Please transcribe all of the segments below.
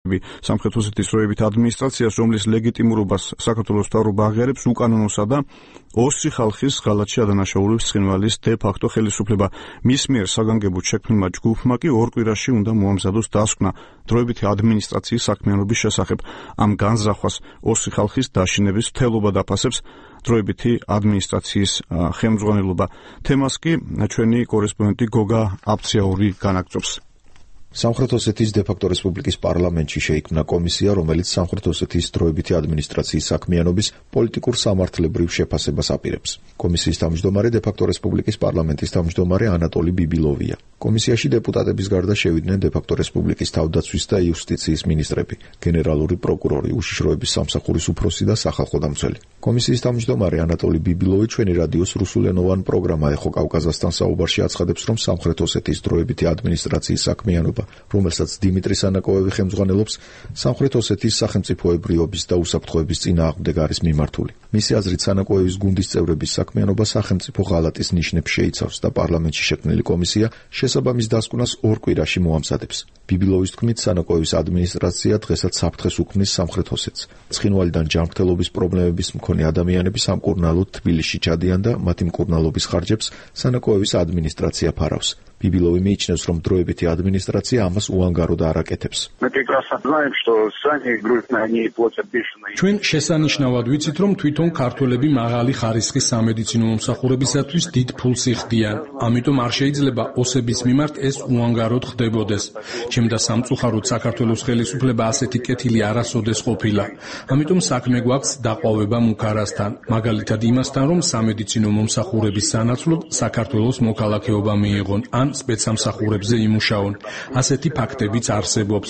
სამხრეთ ოსეთის დროებით ადმინისტრაციას, რომლის ლეგიტიმურობას საქართველოს მთავრობა აღიარებს უკანონოსა და ოსი ხალხის ღალატში ადანაშაულების ცხინვალის დე ფაქტო ხელისუფლება. მის მიერ საგანგებოდ შექმნილმა ჯგუფმა კი 2 კვირაში უნდა მოამზადოს დასკვნა დროებითი ადმინისტრაციის საქმიანობის შესახებ. ამ განზრახვას ოსი ხალხის დაშინების მთელობა დაფასებს დროებითი ადმინისტრაციის ხელმძღვანელობა. თემას კი ჩვენი კორესპონდენტი გოგა აბციაური განაგრძობს. სამხრეთ ოსეთის დე-ფაქტო რესპუბლიკის პარლამენტში შეიქმნა კომისია, რომელიც სამხრეთ ოსეთის დროებითი ადმინისტრაციის საქმიანობის პოლიტიკურ სამართლებრივ შეფასებას აპირებს. კომისიის თავმჯდომარე დე-ფაქტო რესპუბლიკის პარლამენტის თავმჯდომარე ანატოლი ბიბილოვია. კომისიაში დეპუტატების გარდა შევიდნენ დე-ფაქტო რესპუბლიკის თავდაცვის და იუსტიციის მინისტრები, გენერალური პროკურორი, უშიშროების სამსახურის უფროსი და სახალხო დამცველი. კომისიის თავმჯდომარე ანატოლი ბიბილოვი ჩვენი რადიოს რუსულენოვან პროგრამა ეხო კავკაზასთან საუბარში აცხადებს, რომ სამხრეთ ოსეთის დროებითი ადმინისტრაციის საქმიანობა, რომელსაც დიმიტრი სანაკოევი ხელმძღვანელობს, სამხრეთ ოსეთის სახელმწიფოებრიობის და უსაფრთხოების წინააღმდეგ არის მიმართული. მისი აზრით, სანაკოევის გუნდის წევრების საქმიანობა სახელმწიფო ღალატის ნიშნებს შეიცავს და პარლამენტში შექმნილი კომისია შესაბამის დასკვნას 2 კვირაში მოამზადებს. ბიბილოვის თქმით, სანაკოევის ადმინისტრაცია დღესაც საფრთხეს უქმნის სამხრეთ ოსეთს. ცხინვალიდან ჯანმრთელობის პრობლემების მქონე ადამიანები სამკურნალოდ თბილისში ჩადიან და მათი მკურნალობის ხარჯებს სანაკოევის ადმინისტრაცია ფარავს. ბიბილოვი მიიჩნევს, რომ დროებითი ადმინისტრაცია ამას უანგაროდ არ აკეთებს. ჩვენ შესანიშნავად ვიცით, რომ თვითონ ქართველები მაღალი ხარისხის სამედიცინო მომსახურებისათვის დიდ ფულს იხდიან. ამიტომ არ შეიძლება ოსების მიმართ ეს უანგაროდ ხდებოდეს. ჩემდა სამწუხაროდ საქართველოს ხელისუფლება ასეთი კეთილი არასოდეს ყოფილა. ამიტომ საქმე გვაქვს დაყვავება მუქარასთან, მაგალითად იმასთან, რომ სამედიცინო მომსახურების სანაცვლოდ საქართველოს მოქალაქეობა მიიღონ ან სპეცსამსახურებზე იმუშაონ. ასეთი ფაქტებიც არსებობს.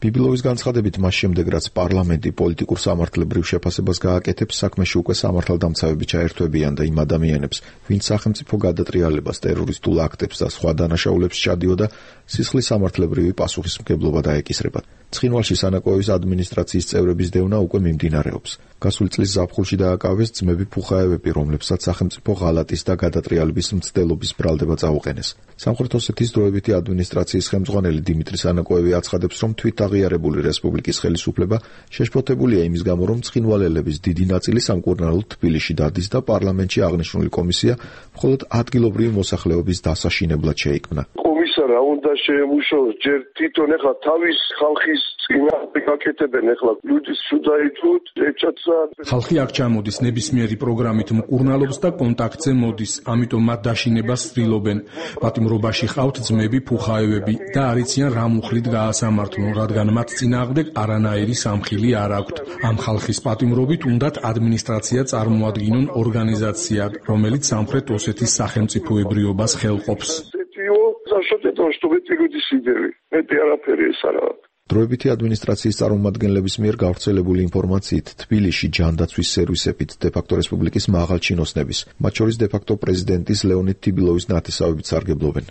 ბიბილოვის განცხადებით, მას შემდეგ რაც პარლამენტი პოლიტიკურ სამართლებრივ შეფასებას გააკეთებს, საქმეში უკვე სამართალდამცავები ჩაერთვებიან და იმ ადამიანებს, ვინც სახელმწიფო გადატრიალებას, ტერორისტულ აქტებს და სხვა დანაშაულებს ჩადიოდა, სისხლის სამართლებრივი პასუხისმგებლობა დაეკისრებათ. ცხინვალში სანაკოევის ადმინისტრაციის წევრების დევნა უკვე მიმდინარეობს. გასული წლის ზაფხულში დააკავეს ძმები ფუხაევები, რომლებსაც სახელმწიფო ღალატის და გადატრიალების მცდელობის ბრალდება წაუყენეს. სამხრეთ ოსეთის დროებითი ადმინისტრაციის ხელმძღვანელი დიმიტრი სანაკოევი აცხადებს, რომ თვითაღიარებული რესპუბლიკის ხელისუფლება შეშფოთებულია იმის გამო, რომ ცხინვალელების დიდი ნაწილი სამკურნალოდ თბილისში დადის და პარლამენტში აღნიშნული კომისია მხოლოდ ადგილობრივი მოსახლეობის დასაშინებლად შეიქმნა. რა უნდა შეემუშაოს ჯერ თვითონ ეხლა თავის ხალხის წინააღმდეგ აკეთებენ ეხლა ლუდის სუდაითუთ ეჭაცა ხალხი აქ ჩამოდის ნებისმიერი პროგრამით მკურნალობს და კონტაქტზე მოდის, ამიტომ მათ დაშინებას ცდილობენ. პატიმრობაში ყავთ ძმები ფუხაევები და არიციან რა მუხლით გაასამართლონ, რადგან მათ წინააღმდეგ არანაირი სამხილი არ აქვთ. ამ ხალხის პატიმრობით უნდათ ადმინისტრაცია წარმოადგინონ ორგანიზაციად, რომელიც სამხრეთ ოსეთის სახელმწიფოებრიობას ხელყოფს. დროებითი ადმინისტრაციის წარმომადგენლების მიერ გავრცელებული ინფორმაციით, თბილისში ჯანდაცვის სერვისებით დე-ფაქტო რესპუბლიკის მაღალჩინოსნების, მათ შორის დე-ფაქტო პრეზიდენტის ლეონიდ თიბილოვის ნათესავებით სარგებლობენ.